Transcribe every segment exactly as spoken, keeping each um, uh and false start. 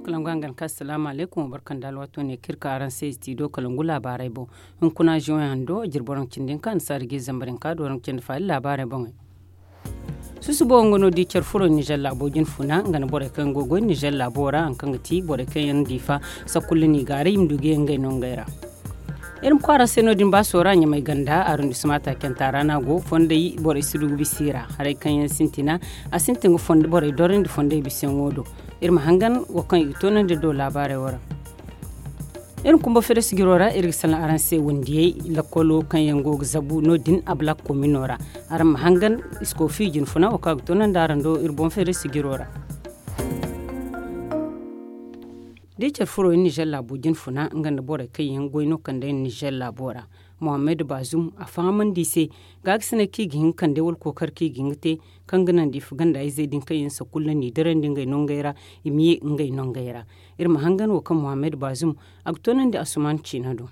Kalangu hangan ka asalaamu alaykum, barka nda alwaato ne kaŋ iri ka araŋ se istidiyo kalangu laabaarey boŋ. Hunkuna ziyoŋ hando jirbi waranka cindi hinka annasaari ga zambar hinka da waranka cindi faali laabaarey boŋey. Susubo nga no di care furo nizer laabo jine funa nga na borey kaŋ yaŋ go ga goy nizer laabo ra hari kaŋ ga ti borey kaŋ yaŋ diifa, sakulla n'i gaaray i ma du ga ye ngey no ngey ra. Iri ma kwaara se no- din baaso ra ɲamay ganda arondisima taacanta ra no a go fondey borey si du ga bisa i ra. Haray kaŋ yaŋ sintina a sintin ga borey dorandi fondey bisayaŋo do. Iri ma hangan wo kaŋ i ga toonandi do laabaarey wo ra. Iri ma kumba fere sijiro ra iri ga salaŋ araŋ se wandiyey lakkolo kaŋ yaŋ go ga zabu no- din a black komino ra. Araŋ ma hangan iskofi jine funa wo kaŋ a ga toonandi araŋ do iri boŋ fere sijiro ra. Da i care furo yaŋ nizer laabo jine funa nga nda borey kaŋ yaŋ goy no kandey nizer laabo ra. Mohammed bazum a fahamandi i se gaakasinay kaŋ i ga hin ga kande wala kookari kaŋ i ga hin ga te kaŋ ga naŋ da i fa ganda izey din kaŋ yaŋ sakulla n'i dirandi ngey nongey ra i ma ye ngey nongey ra. Iri ma hangan wo kaŋ mohammed bazum a ga toonandi asuman ciina do.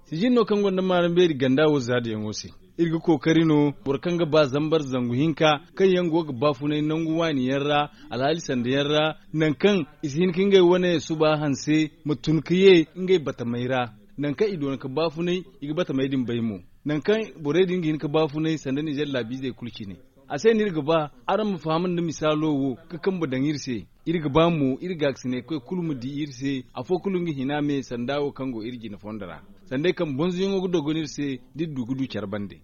Sijin no kaŋ gonda maaram beeri ganda wo zaadayaŋo se. Iri ga kookari no boro kaŋ ga ba zambar zangu hinka kaŋ yaŋ go ga baafunay nangu waani yaŋ ra, alhaali sanda yaŋ ra, nangu kaŋ i si hin ka ngey wane suba hanse ma tun ka ye ngey batamey ra. Nangu kaŋ i doona ka baafunay i ga batamey din bay mo. Nangu kaŋ borey din ga hin ka baafunay sanda nizer laabiizey kulu cine. A se no iri ga ba araŋ ma faham nda misaalo wo ka kambe daŋ iri se. Iri ga ba mo iri gaakasinay koy kulu ma di iri se. Afo kulu nga hina me sanda wo kaŋ go iri jine fondo ra. Sanda ay kambe bonzoyaŋo ga dogon iri se da iri du ga du care bande.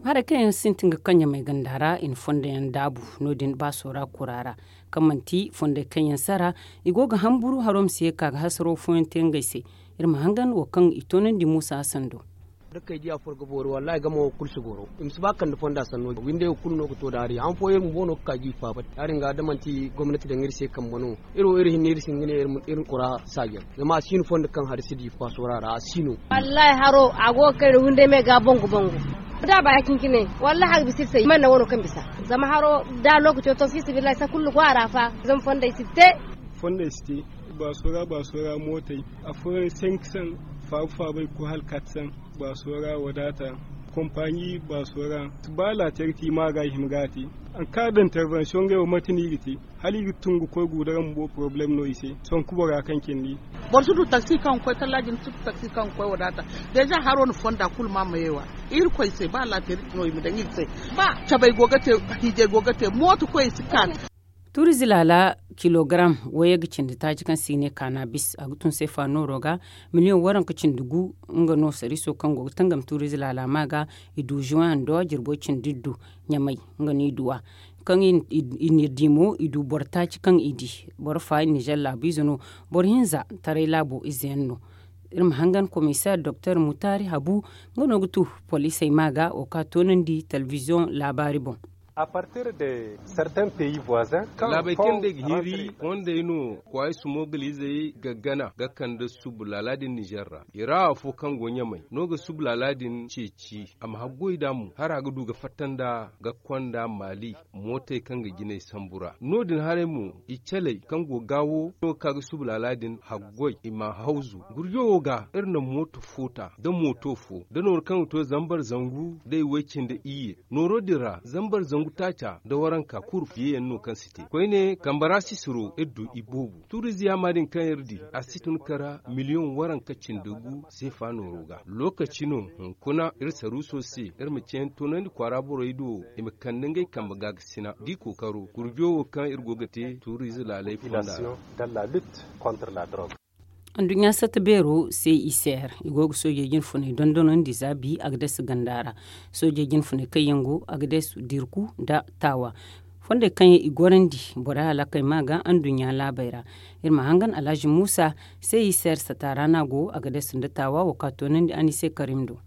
Haray kaŋ yaŋ sintin ga kaŋ ɲamay ganda ra i na fondo yaŋ daabu no- din baaso ra kura ra kaŋ manti fondey kaŋ yaŋ sara. I go ga hamburu haro ma si ye ga ka ga hasaro fooyaŋ te ngey se. Iri ma hangan wo kaŋ i toonandi muusa hasan do. Da kay diya foro ga boori wallahi gamo wo kulu si goro i ma si ba kande fonda sanno windey wo kulu no ga to daari han fooyaŋ iri bumbo no ga ka ga i faaba. Yaadin ga da manti gomnati daŋ iri se kambe no iri wo iri hinne iri si hin ga ne iri ma kura saaji yaŋ zama a si no fondo kaŋ hari si di faasora ra a si no. Wallahi haro a go ga kay da windey me ga bangu bangu. Da a ba ya cine cine wallahi a ga bisa iri se i mana naŋ wano kaŋ bisa. Zama haro da lookaco to fiisabilillahi sara kulu go a ra fa. Zama fondey si te. Fondey si te. Baaso ra baaso ra mootey afooyaŋ senk san faabu faabay ga koy hala kat san. Baaso ra wadaata. Kompaaɲi baaso ra ba laateer te i ma ga i hima ga a te. An kaara da intervensiyoŋ ngey wo manti no i ga te hala i ga tun ga koy guudara bumbo porobalem no i se. Sonku bora kaŋ cindi. Boro si du taksi kaŋ ga koy tallaaji ni si du taksi kaŋ ga koy wadaata. Deeza haro na fonda kulu ma ma yeewa. Irkoy se ba laateer no i ma daŋ iri se. Ba cabay go ga te hiijay go ga te mooto koy si kaanu. Tuurize laala kilogaram wayey ga cindi taaci kaŋ se i ne kaanabis a ga tun seefa nooro ga miliyoŋ waranka cindi gu. Nga no sariiso kaŋ go ga tangam tuurize laala ma ga i du zuwando jirbo cindi iddu ɲamay. Nga no i du a kaŋ i na di mo i du boro taaci kaŋ i di. Boro fa nizer laabiize no boro hinza taray laabo ize yaŋ no. Iri ma hangan komiseer doktor mutaari habu nga no ga tu poliisey ma ga wo kaŋ a toonandi telebiziyoŋ laabaari boŋ. Laabey kaŋ day ga hiri fondey no kwaayi sumogaliizey ga gana ga kande subu laala din nizer ra. I ra afo kaŋ go ɲamay no ga subu laala din ceeci a ma haggoy nd'a mo hara ga du ga fatta nd'a ga konda maali. Mootey kaŋ ga jinay sambu ra no- din haray mo i caley kaŋ go ga gaawo no ga ka ga subu laala din haggoy i ma hawzu. Gurjo wo ga iri na mooto foota nda mooto fo nda nooru kaŋ ga to zambar zangu nda i way-cindi iyye. Nooro din ra zambar zangu taaca nda waranka kulu yeeyaŋ no kaŋ si te koyne kambe ra sisiro iri du iboobo tuuriize yaama din kaŋ iri di a si tun kara miliyoŋ waranka cindi gu seefa nooro ga. Lookaci no hunkuna iri saruuso se iri ma ceeyaŋ toonandi kwaara borey do i ma kande ngey kambe gaakasina da i kookaro gurjo wo kaŋ iri go ga te tuuriize laaley fonda ra. Anduɲɲa satta beero se i seer i go ga soojey jinfuney dondonandi za bi agades ganda ra. Soojey jinfuney kaŋ yaŋ go agades dirku nda taawa fondey kaŋ yaŋ i gorandi borey halakey ma ga anduɲɲa laabey ra. Iri ma hangan alhazi muusa se i seer satta ra no a go agades nda taawa wo kaŋ a toonandi anise karim do.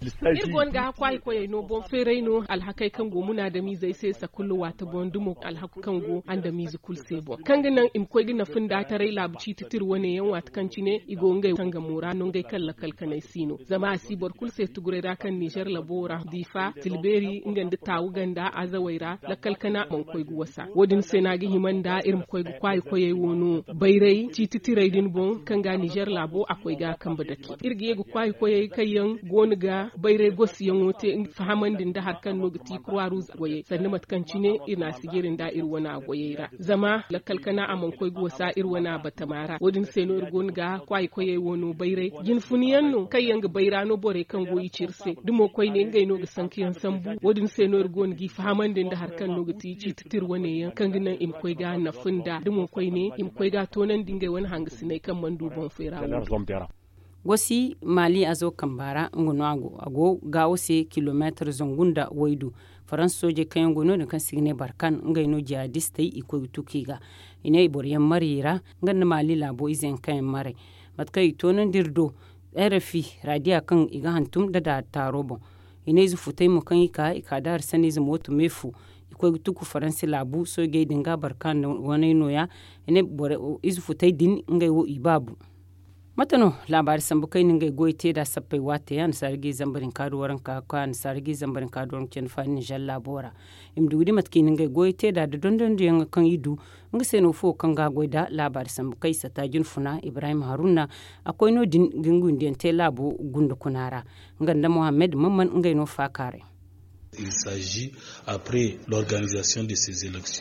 Iri go no ga hakku a i koyey no boŋ feeray no alhakey kaŋ go munaadamiizey se sakulu waati boŋ dumo alhaku kaŋ go andamiize kulu se boŋ kaŋ ga naŋ i ma koy ga nafa nda taray laabu ciiti tira wane yaŋ waati kaŋ cine i go ngey tangamo ra no ngey kaŋ lakal kanay si no zama a si boro kulu se tuguray ra kaŋ nizer labo ra diifa tilbeeri nga nda taawu ganda azawey ra lakal kana mana koy ga wasa. Wo- din se no a ga hima nda iri ma koy ga kwaayi koyey wo no bayray ciiti tiray din boŋ kaŋ ga nizer laabo a koy ga kambe dake iri ga ye ga kwaayi koyey kaŋ yaŋ go no ga Bayray gosiyaŋo te fahamandi nda hari kaŋ no ga ti kruwa ruuz goyey sanda mate kaŋ cine iri na a sijiri nda iri wana goyey ra. Zama lakkal kana a mana koy ga wasa iri wana batama ra wo- din se no iri go no ga kwaayi koyey wo no bayray jinfuna yaŋ no kaŋ yaŋ ga bayra no borey kaŋ go i ci iri se da mo koyne ngey no ga sanka yaŋ sambu. Wo- din se no iri go no g'i fahamandi nda hari kaŋ no ga ti ciiti tira wane yaŋ kaŋ ga naŋ i ma koy ga nafa nda da mo koyne i ma koy ga toonandi ngey wane hangasiney kaŋ mana du boŋ fay ra wo- din. Gosi maali azo kamba ra nga no a go a go gaawo se kilomeetar zangu nda waydu. Faransa soojey kaŋ yaŋ go no- din kaŋ se i ga ne barkan ngey no jihadistey i koy ga tuku i ga i ne boro yaŋ mariyey ra. Nga nda maali laabo ize yaŋ kaŋ yaŋ maray mate kaŋ i toonandi iri do. Rfi raadiya kaŋ i ga hantum nda daari taaro boŋ. I ne ize futey mo kaŋ i ka i ka da hari sanniize mooto me fu i koy ga tuku faransi laabu soojey din ga barkan waney nooya. I ne ize futey din ngey wo i baabu. Mate no laabaari sambu kaŋ i na ngey goyey te nd'a sappey waate annasaara ga i zambar hinka du waranka ka annasaara ga i zambar hinka du waranka candi faani nizer laabo ra. I ma du ga di mate kaŋ i na ngey goyey te nd'a nda dondonandiyaŋ kaŋ i du. Nga se no fo kaŋ ga a goy nd'a laabaari sambu kaŋ i satta jinfuna ibrahim haruna. A koy no- din ga nga windiyaŋ te laabo gunda kuna ra. Nga nda mohammed mamman ngey no faakaaray.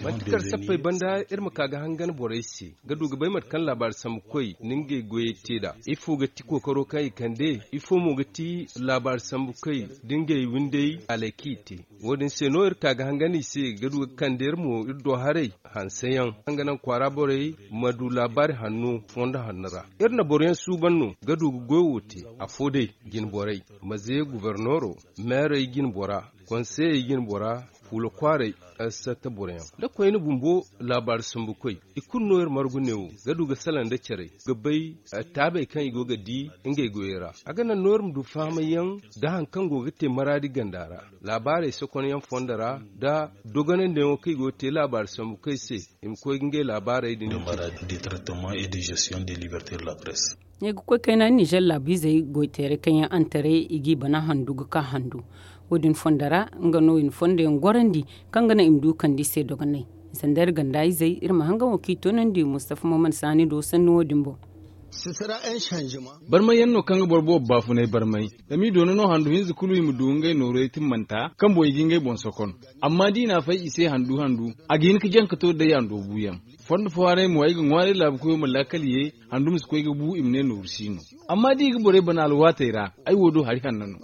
Manti kar sappey banda iri ma ka ga hangan borey se ga du ga bay mate kaŋ laabaari sambu koy na ngey goyey te nd'a. Ifo ga ti kookaro kaŋ i kande? Ifo mo ga ti laabaari sambu koy da ngey windey alay kaŋ i te? Wo- din se no iri ka ga hangan i se ga du ga kande iri mo iri do haray hanseyaŋ kaŋ ga naŋ kwaara borey ma du laabaari hanno fondo hanno ra. Iri na boroyaŋ suuban no ga du ga goy wo te. Afo day jinborey, maze guberneero, meerey jinbora, konseyey jinbora, fuula kwaaray, satta boroyaŋ nda koyne bumbo. Laabaari sambu koy i kulu no iri margu neewo ga du ga salaŋ nda care ga bay taabey kaŋ i go ga di ngey goyey ra. A ga naŋ no iri ma du fahamay yaŋ nda hari kaŋ go ga te maraadi ganda ra, laabaarey sokonyaŋ fondo ra nda dogonandiyaŋo kaŋ i go ga te laabaari sambu koy se. I ma koy ga ngey laabaarey din. Ne ga koy kayna nizer laabu izey goyteeray kaŋ yaŋ antaray i g'i bana handu ga ka handu. Wo- din fondo ra nga no i na fondoyaŋ gorandi kaŋ ga naŋ i ma du kande i se dogonay. Sanda iri ganda izey iri ma hangan wo kaŋ i toonandi mustafa muhammad saani do sanni wo- din boŋ. Barmay yaŋ no kaŋ ga boro boobo baafunay barmay. Zama i doona no handu hinza kulu i ma du ngey nooru ay timmanta kaŋ boŋ i ga ngey boŋ sokon. Amma da i n'a fay i se handu handu, a ga hin ga jaŋ ga to day a ndoobuyaŋ. Fondo fo haray mo ay ga ŋwaaray laabu koyo ma laakal ye handu ma si koy ga bu i ma ne nooru si no. Amma da i ga borey bana alwaatey ra, ay wo do hari hanno no.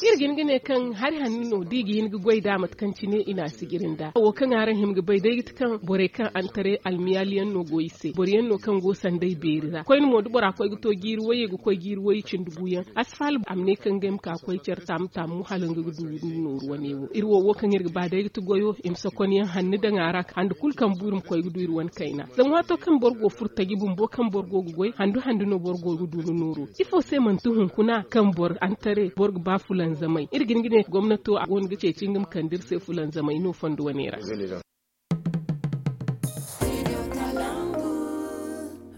Iri ga hin ga ne kaŋ hari hanno no da i ga hin ga goy nd'a mate kaŋ cine i n'a sijiri nd'a wo kaŋ araŋ hima ga bay day ga ti kaŋ borey kaŋ antaray almiyaali yaŋ no go i se boro yaŋ no kaŋ go sanday beeri ra koyne mo da bora koy ga to jiiri wayey ga koy jiiri wayey cindi guyaŋ. A si faala a ma ne kaŋ ngey ma ka koy care taamu taamu hala nga ga du nooru wane wo iri wo wo kaŋ iri ga ba day ga ti goyo i ma sokonyaŋ hanni daŋ a ra hande kulu kaŋ bu iri ma koy ga du iri wane kayna. Zama waato kaŋ boro go furo taji bumbo kaŋ boro go ga goy handu handu no boro go ga du ni nooru. Ifo se manti hunkuna kaŋ boro antare boro ga ba fulanzamay iri ga hin ga ne gomnato a go no ga ceeci nga ma kande iri se fulanzamay no fondo wane ra.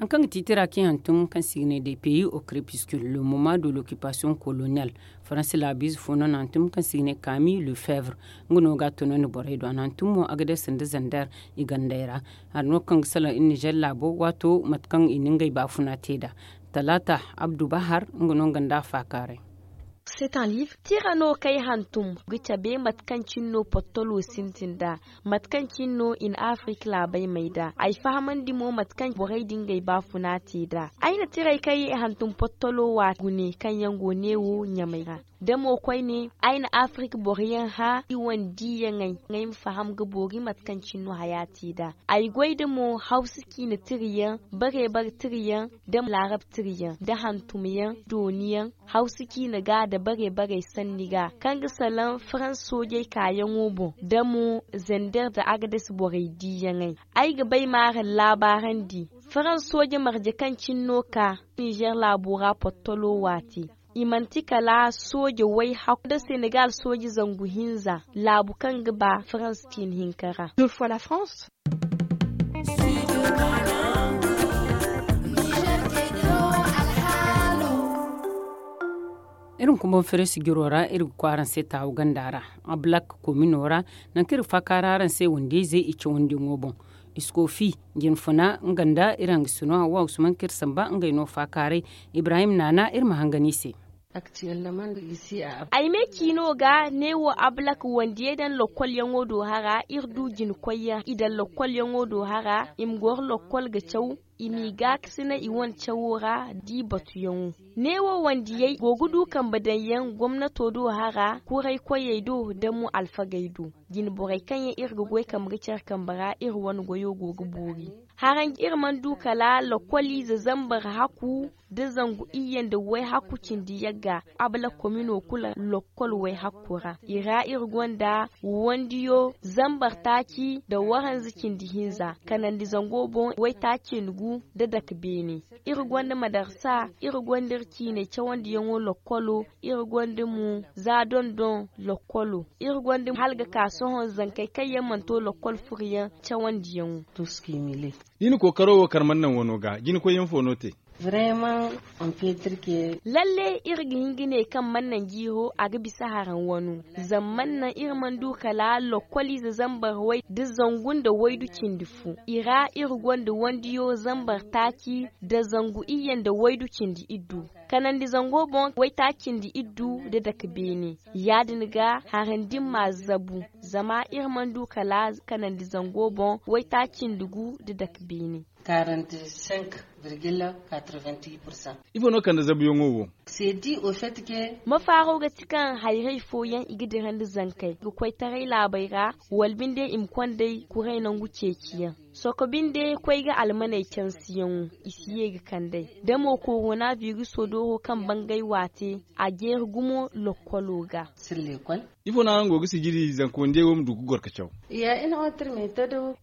Hari kaŋ ga ti tira kaŋ i hantum kaŋ se i ga ne de pays au crépuscule le moment de l'occupation coloniale. Faransi laabiize fo no na hantum kaŋ se i ga ne kami le fevre. Nga no ga a tunandi borey do a na hantum mo agades nda zander i gandey ra. Hari no kaŋ ga salaŋ iri nizer laabo waato mate kaŋ i na ngey baafuna te nd'a. Talaata abdu bahar nga no nga nda a faakaaray. Tira no kaŋ ay hantum ga cabe mate kaŋ cine no pottolo sintin nd'a, mate kaŋ cine no i na afirika laabey may nd'a ay fahamandi mo mate kaŋ borey din ga ay baafuna te nd'a. Ay na tirey kaŋ ay hantum pottolo waati gune kaŋ yaŋ go neewo ɲamay ra. Da mo koyne ay na afirika boro yaŋ hã i wane diiyaŋey, ngey ma faham ga boori mate kaŋ cine no haya te nd'a. Ay goy nda mo hawsa ciine tira yaŋ, bare bare tira yaŋ, nda laarab tira yaŋ nda hantum yaŋ dooni yaŋ, hawsa ciine ga nda bare bare sanni ga kaŋ ga salaŋ farans soojey kaayaŋo boŋ nda mo zander nda agades borey diiyaŋey. Ay ga bay ma araŋ laabaarandi farans sooje marje kaŋ cine no ka nizer laabo ra pottolo waati. I manti kala sooje way hakku nda senegal sooje zangu hinza laabu kaŋ ga ba farans ciine hinka ra. Iri ma kumbaŋ fere sijiro ra iri ga koy araŋ se taawu ganda ra. A black komino ra nangu kaŋ iri ga faakaara araŋ se wandiyayzey i cawandiyaŋo boŋ. Iskofi jinfuna nga nda iri hangasino hawa usman kaŋ iri samba ngey no faakaaray. Ibrahim naana iri ma hangan i se. Ay me ciino ga neewo ablak wandiyey daŋ lokkolyaŋo do hara iri du jinkoyyaŋ i daŋ lokkolyaŋo do hara i ma goro lokkol ga caw i m'i gaakasinay i wane cawo ra. D'i batuyaŋo neewo wandiyey go ga du kambe daŋyaŋ gomnato do hara kuraykoyey do nda mo alfagey do. Jinborey kaŋ yaŋ iri ga goy kambe ga care kambe ra iri wane goyo go ga boori. Haranj iri mana du kala lokkoliize zambar hakku nda zangu iyye nda wayhakku cindi yagga. Abla komino kulu lokkol wayhakku ra i ra iri gonda wandiyo zambar taaci nda waranza cindi hinza kanandi zango boŋ waytaaci nda gu nda dake beene. Iri gonda madarsa iri gonda iri ciiney cawandiyaŋo lokkolo iri gonda mo za dondon lokkolo iri gonda hala ga ka sohõ zankey kaŋ yaŋ mana to lokkol furuyaŋ cawandiyaŋo. Da i na kookaro wo kar mana naŋ wano ga jinakoyyaŋ fo no te. Lalle iri ga hin ga ne kaŋ mana naŋ jiiro a ga bisa haraŋ wano. Zama mana naŋ iri mana du kala lokkoliize zambar way nda zangu nda waydu cindi fu i ra iri gonda wandiyo zambar taaci nda zangu iyye nda waydu cindi iddu. Kanandi zango boŋ waytaaci cindi iddu nda dake beene. Ya- din ga haraŋ din m'a zabu zama iri mana du kala kanandi zango boŋ waytaaci cindi gu nda dake beene. Ifo no kande zabuyaŋo wo? Mafaaro ga ti kaŋ hayray fooyaŋ i ga dirandi zankey ga koy taray laabey ra wala binde i ma konday kuray nangu ceeciyaŋ. Soko binde koy ga almaney cansiyaŋo i si ye ga kand'ey da mo korona biruso dooro kaŋ bangay waate a jeeri gumo lokkolo ga. Ifo no araŋ go ga sijiri zanka wandiyey wo ma du ga goro ga caw?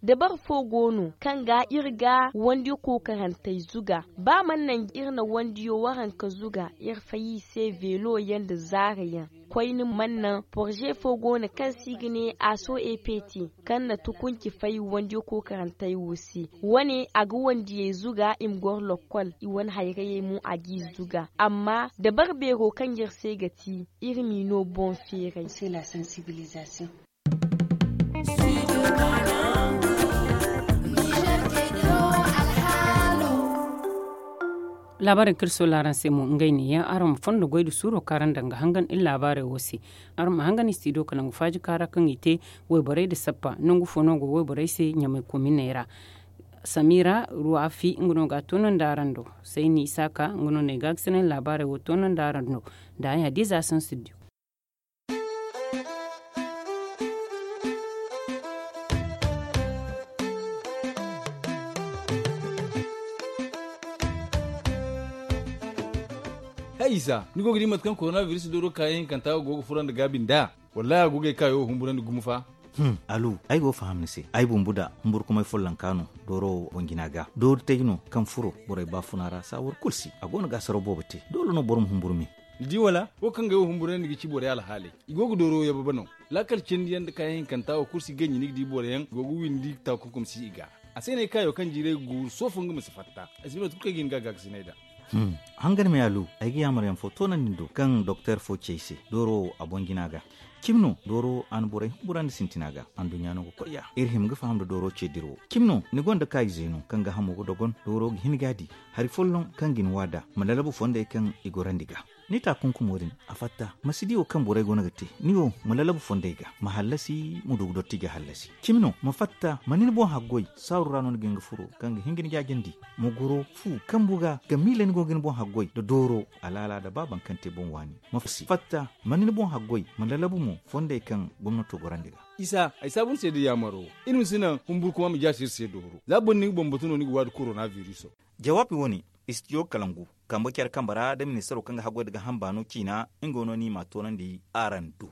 Dabari fo go no kaŋ ga iri ga wandiyo kookarantey zuga. Ba mana naŋ iri na wandiyo waranka zuga iri fay i se veelo yaŋ nda zaara yaŋ. Koyne mana naŋ porze fo go no kaŋ se i ga ne aso ept kaŋ na tukunci fay wandiyo kookarantey wo se. Wane a ga wandiyey zuga i ma goro lokkol i wane hayrayey mo a g'i zuga. Amma dabari beero kaŋ iri se ga ti iri m'i no boŋ feeray. Laabaarey kaŋ iri soola araŋ se mo ngey neeyaŋ araŋ ma fondo goy nda suuro kaŋ araŋ daŋ ga hangan iri laabaarey wo se. Araŋ ma hangan istiido ka nangu faaji kaara kaŋ i te wayborey nda sappa nangu fo no go wayborey se ɲamay kominey ra. Samira ruwafi nga no ga a toonandi araŋ do. Sayni isaaka nga no no ay gaakasinay laabaarey wo toonandi araŋ do. Nda ay hadiiza sansiddiyo. Hay isa ni go ga di mate kaŋ korona biris dooro kaayaŋ hinkanta go ga furandi gaabi nd'a? Wallahi a go ga ay kaayo wo humburandi gumo fa. Alu, ay go ga faham ni se. Ay bumbu da humburkumay follonka no dooro boŋ jina ga doori tay no kaŋ furo borey baafuna ra saawar kulu se a go no ga asaraw boobo te. Doole no boro ma humburu me. Ni di wala wo kaŋ ga ay wo humburandi ga ci borey alhaaley. I go ga dooro yababa no. Laakal cindi yaŋ nda kaayaŋ hinkanta wo kulu si ganji ni ga di boro yaŋ go ga windi takunkum si i ga. A se no ay kaayo kaŋ jiiray ga guuru soofo nga ma si fatta. Ay si bay mate kulu kaŋ ay ga hin ga a gaakasinay nd'a. Hangan me alu, ay ga yaamar yaŋ fo toonandi ni do kaŋ doktor fo ci ay se dooro wo a boŋ jina ga. Cimi no dooro a na borey humburandi sintina ga. Anduɲɲa no ga koy ya iri hima ga faham nda dooro ce dira wo. Cimi no ni gonda kaayize no kaŋ ga hamo ga dogon dooro ga hin ga a di hari folloŋ kaŋ ga ni waada ma lalabu fondey kaŋ i gorandi ga. Ni taakunkumo din a fatta ma si di wo kaŋ borey go no ga te. Ni wo ma lalabu fondey ga ma hallasi ma du ga dotti ga hallasi. Cimi no ma fatta ma ni ni boŋ haggoy saaru ra no ni ga hin ga furo kaŋ ga hin ga ni jaajandi. Ma goro fu kambu ga ga miila ni go ga ni boŋ haggoy nda dooro alaala nda ba baŋ kaŋ te boŋ waani. Ma fatta ma ni ni boŋ haggoy ma lalabu mo fondey kaŋ gomnato gorandi ga. Isa ay saabu ni se da yaamaro. Iri ma si naŋ humburkuma ma jaasi iri se dooro za boro ni ga bambatu no ni ga waadi korona viriso. Jawaabi wo-ne istidiyo kalangu kambe care kambe ra nda ministaro kaŋ ga haggoy nda ga hamba no ciina nga wo no ni m'a toonandi araŋ do.